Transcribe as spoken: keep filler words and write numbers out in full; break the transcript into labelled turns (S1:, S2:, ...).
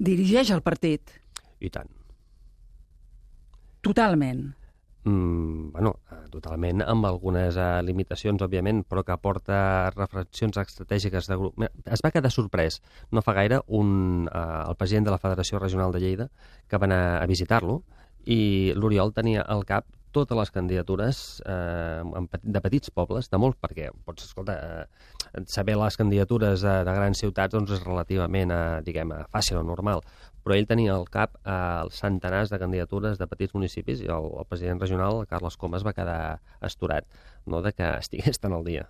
S1: Dirigeix el partit.
S2: I tant.
S1: Totalment.
S2: Mm, bueno, totalment, amb algunes uh, limitacions, òbviament, però que aporta reflexions estratègiques de grup. Es va quedar sorprès, no fa gaire, un, uh, el president de la Federació Regional de Lleida, que va anar a visitar-lo, i l'Oriol tenia al cap totes les candidatures eh, de petits pobles, de molts, perquè pots, escolta, eh, saber les candidatures de, de grans ciutats doncs és relativament, eh, diguem, fàcil o normal, però ell tenia al cap eh, els centenars de candidatures de petits municipis i el, el president regional, Carles Comas, va quedar astorat, no?, de que estigués tan al dia.